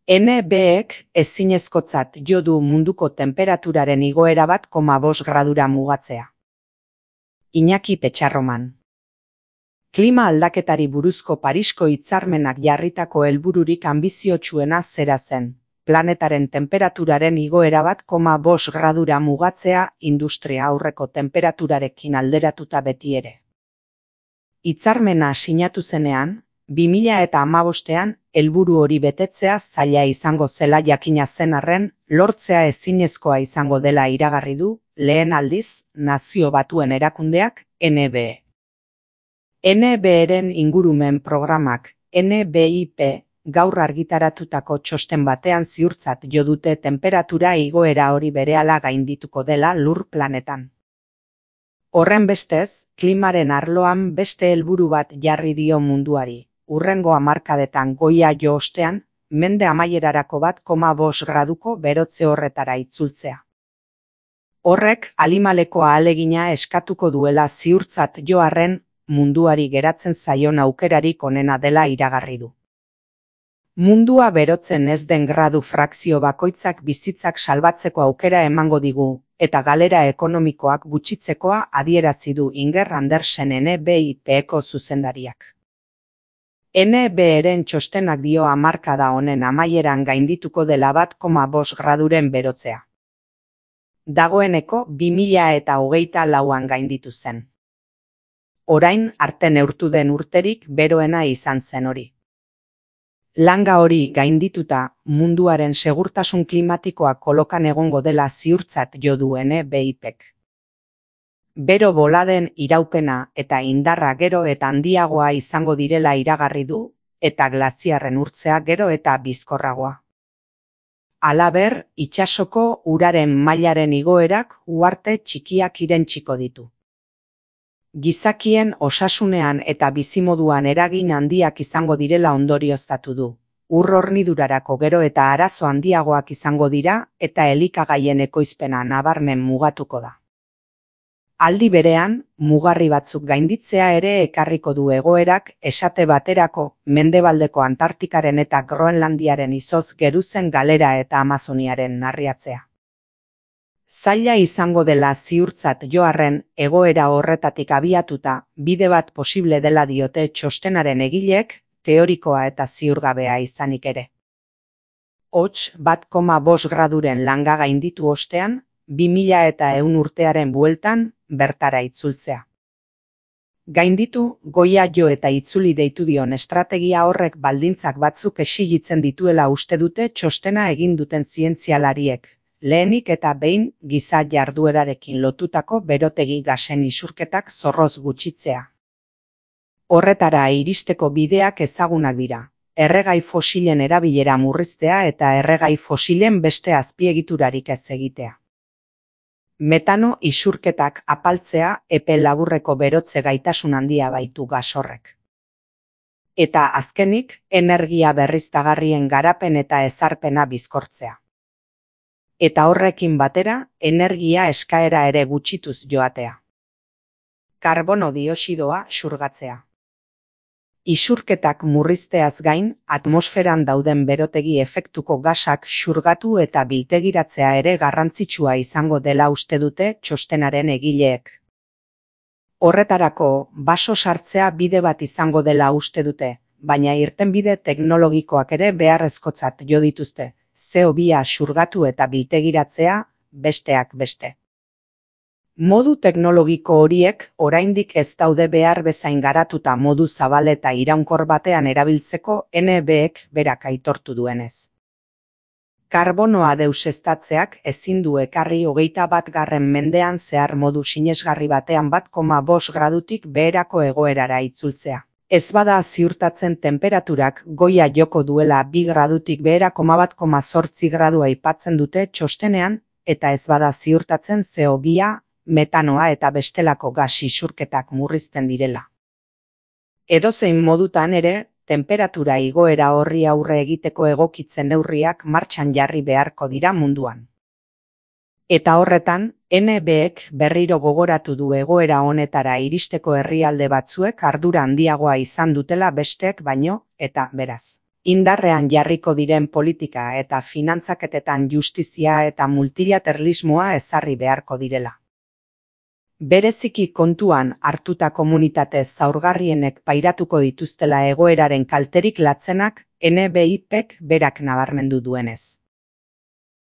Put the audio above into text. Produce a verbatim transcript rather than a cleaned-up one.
N B-ek ezinezkotzat jo du munduko tenperaturaren igoera bat koma bost gradura mugatzea. Iñaki Petxarroman. Klima aldaketari buruzko Parisko hitzarmenak jarritako helbururik anbiziotsuena zera zen, planetaren tenperaturaren igoera bat koma bost gradura mugatzea industria aurreko tenperaturarekin alderatuta beti ere. Hitzarmena sinatu zenean, bi mila eta hamabostean helburu hori betetzea zaila izango zela jakina zen arren, lortzea ezinezkoa izango dela iragarri du, lehen aldiz, Nazio Batuen Erakundeak, N B E. N B E-ren ingurumen programak, N B I P, gaur argitaratutako txosten batean ziurtzat jo dute tenperatura igoera hori berehala gaindituko dela lur planetan. Horren bestez, klimaren arloan beste helburu bat jarri dio munduari, hurrengo hamarkadetan goia jo ostean, mende amaierarako bat koma bost graduko berotze horretara itzultzea. Horrek alimaleko ahalegina eskatuko duela ziurtzat jo arren, munduari geratzen zaion aukerarik onena dela iragarri du. Mundua berotzen ez den gradu frakzio bakoitzak bizitzak salbatzeko aukera emango digu, eta galera ekonomikoak gutxitzekoa adierazi du Inger Andersen N B I P-eko zuzendariak. N B E-ren txostenak dio hamarkada honen amaieran gaindituko dela bat koma bost graduren berotzea. Dagoeneko bi mila eta hogeita lauan gainditu zen. Orain arte neurtu den urterik beroena izan zen hori. Langa hori gaindituta munduaren segurtasun klimatikoa kolokan egongo dela ziurtzat jo du N B I P-ek. Bero boladen iraupena eta indarra gero eta handiagoa izango direla iragarri du, eta glaziarren urtzea gero eta bizkorragoa. Halaber, itsasoko uraren mailaren igoerak uharte txikiak irentsiko ditu. Gizakien osasunean eta bizimoduan eragin handiak izango direla ondorioztatu du. Ur hornidurarako gero eta arazo handiagoak izango dira eta elikagaien ekoizpena nabarmen mugatuko da. Aldi berean, mugarri batzuk gainditzea ere ekarriko du egoerak esate baterako mendebaldeko Antartikaren eta Groenlandiaren izoz geruzen galera eta Amazoniaren narriatzea. Zaila izango dela ziurtzat jo arren, egoera horretatik abiatuta, bide bat posible dela diote txostenaren egileek, teorikoa eta ziurgabea izanik ere. Hots bat koma bost graduren langa gainditu ostean, bi mila eta ehun urtearen bueltan, bertara itzultzea. Gainditu, goia jo eta itzuli deitu dion estrategia horrek baldintzak batzuk exigitzen dituela uste dute txostena egin duten zientzialariek, lehenik eta behin giza jarduerarekin lotutako berotegi gasen isurketak zorroz gutxitzea. Horretara iristeko bideak ezagunak dira, erregai fosilen erabilera murriztea eta erregai fosilen beste azpiegiturarik ez egitea. Metano isurketak apaltzea epe laburreko berotze gaitasun handia baitu gas horrek. Eta azkenik, energia berriztagarrien garapen eta ezarpena bizkortzea. Eta horrekin batera, energia eskaera ere gutxituz joatea. Karbono dioxidoa xurgatzea. Isurketak murrizteaz gain, atmosferan dauden berotegi efektuko gasak xurgatu eta biltegiratzea ere garrantzitsua izango dela uste dute txostenaren egileek. Horretarako, baso sartzea bide bat izango dela uste dute, baina irtenbide teknologikoak ere beharrezkotzat jo dituzte, C O bi xurgatu eta biltegiratzea, besteak beste. Modu teknologiko horiek oraindik ez daude behar bezain garatuta modu zabal eta iraunkor batean erabiltzeko N B-ek berak aitortu duenez. Karbonoa deuseztatzeak ezin du ekarri hogeita bat garren mendean zehar modu sinesgarri batean bat koma bost gradutik beherako egoerara itzultzea. Ez bada ziurtatzen tenperaturak goia joko duela bi gradutik behera koma bat koma zortzi gradu aipatzen dute txostenean, eta ez bada ziurtatzen C O bi metanoa eta bestelako gas isurketak murrizten direla. Edozein modutan ere, tenperatura igoera horri aurre egiteko egokitzen neurriak martxan jarri beharko dira munduan. Eta horretan, N B-ek berriro gogoratu du egoera honetara iristeko herrialde batzuek ardura handiagoa izan dutela besteek baino, eta beraz, Indarrean jarriko diren politika eta finantzaketetan justizia eta multilateralismoa ezarri beharko direla. Bereziki kontuan hartuta komunitate zaurgarrienek pairatuko dituztela egoeraren kalterik latzenak N B I Pk berak nabarmendu duenez.